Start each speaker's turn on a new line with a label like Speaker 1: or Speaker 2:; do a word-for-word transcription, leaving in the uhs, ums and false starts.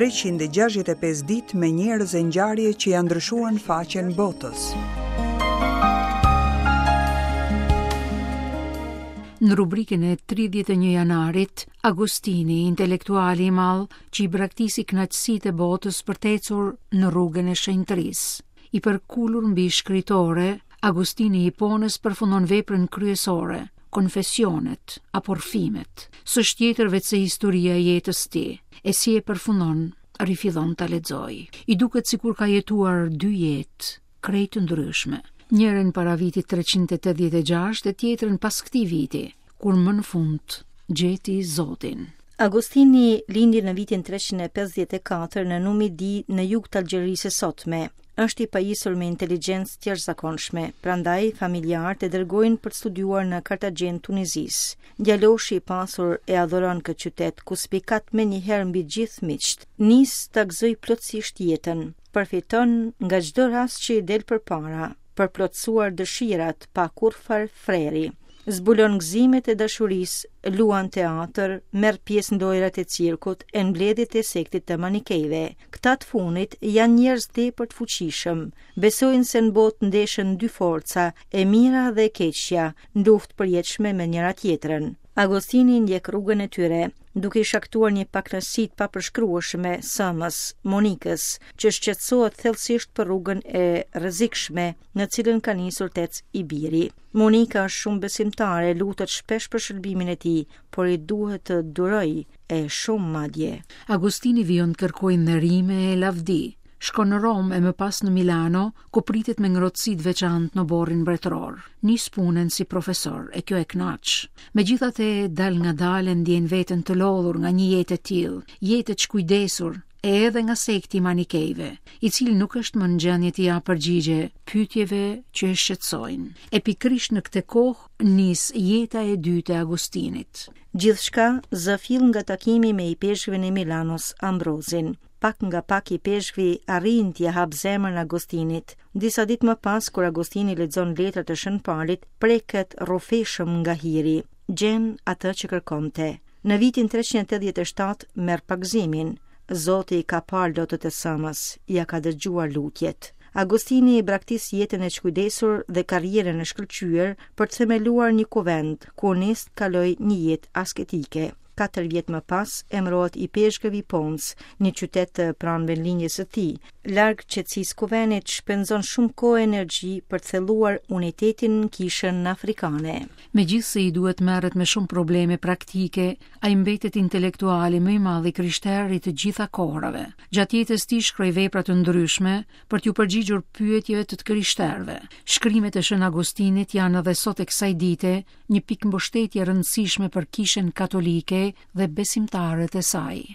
Speaker 1: treqind e gjashtëdhjetë e pesë ditë me njerëz e ngjarje që janë ndryshuar në faqen botës.
Speaker 2: Në rubrikën e tridhjetë e një janarit, Agostini, intelektuali i madh që i braktisi kënaqësitë e botës për të ecur në rrugën e shenjtërisë. I përkulur mbi shkritore, Agostini i Hiponës përfundon veprën kryesore, Konfesionet apo Rrëfimet. S'është tjetër veç se historia e jetës tij, e si e përfundon, rifillon ta lexoj. I duket sikur ka jetuar dy jetë, krejt të ndryshme. Njërën para vitit treqind e tetëdhjetë e gjashtë e tjetrën pas këtij viti, kur më në fund gjeti Zotin.
Speaker 3: Agostini lindi në vitin treqind e pesëdhjetë e katër në Numidi në jug të Algjerisë së sotme. Është i pajisur me inteligjencë të jashtëzakonshme, prandaj familjarët e dërgojnë për të studiuar në Kartagjenë Tunizisë. Djaloshi i pasur e adhuron këtë qytet, ku spikat menjëherë mbi gjithë miqt. Nis ta gëzoj plotësisht jetën, përfiton nga çdo rast që i del përpara, për plotësuar dëshirat pa kurrfar freri. Zbulon gëzimet e dashurisë, luan teatr, merr pjesë në lojrat e cirkut e në mbledhjet e sektit të manikejve. Këta të fundit janë njerëz tepër të fuqishëm. Besojnë se në botë ndeshen dy forca, e mira dhe e keqja, në luftë përjetshme me njëra tjetrën. Agostini ndjek rrugën e tyre, duke i shkaktuar një pakënaqësi të papërshkrueshme sëmës, Monikës, që shqetësohet thellësisht për rrugën e rrezikshme në cilën ka nisur të ecë i biri. Monika është shumë besimtare, lutet shpesh për shërbimin e tij, por i duhet të duroj e shumë madje.
Speaker 2: Agostini vijon të kërkojë nderime e lavdi. Shkon në Romë e më pas në Milano, ku pritet me ngrohtësi të veçantë në oborrin mbretëror. Nis punën si profesor, e kjo e kënaq. Megjithatë, dal nga dalë ndjen veten të lodhur nga një jetë e tillë, jetë e çkujdesur, e edhe nga sekti i manikejve, i cili nuk është më në gjendje t'i japë përgjigje pyetjeve që e shqetësojnë. E pikërisht në këtë kohë nis jeta e dytë e Agostinit.
Speaker 3: Gjithçka zë fill nga takimi me ipeshkvin e Milanos, Ambrozin. Pak nga pak ipeshkvi arrin t'ia hap zemrën Agostinit. Disa ditë më pas, kur Agostini lexon letrat e Shën Palit, preket rrofeshëm nga hiri. Gjen atë që kërkonte. Në vitin treqind e tetëdhjetë e shtatë merr pagëzimin. Zoti i ka parë lotët e sëmës, ia ka dëgjuar lutjet. Agostini i braktis jetën e çkujdesur dhe karrierën e shkëlqyer për të themeluar një kuvent, ku nis të kalojë një jetë asketike. Katër vjet më pas emërohet ipeshkëv i Pons, një qytet pranë vendlindjes së tij. Larg qetësisë kuvenit shpenzon shumë kohë e energji për të thelluar unitetin në kishën afrikane.
Speaker 2: Megjithse i duhet merret me shumë probleme praktike, ai mbetet intelektuali më i madh i krishterë i të gjitha kohërave. Gjatë jetës tij shkroi vepra të ndryshme për t'ju përgjigjur pyetjeve të të krishterëve. Shkrimet e Shën Agostinit janë edhe sot e kësaj dite një pikë mbështetje e rëndësishme për kishën katolike dhe besimtarët e saj.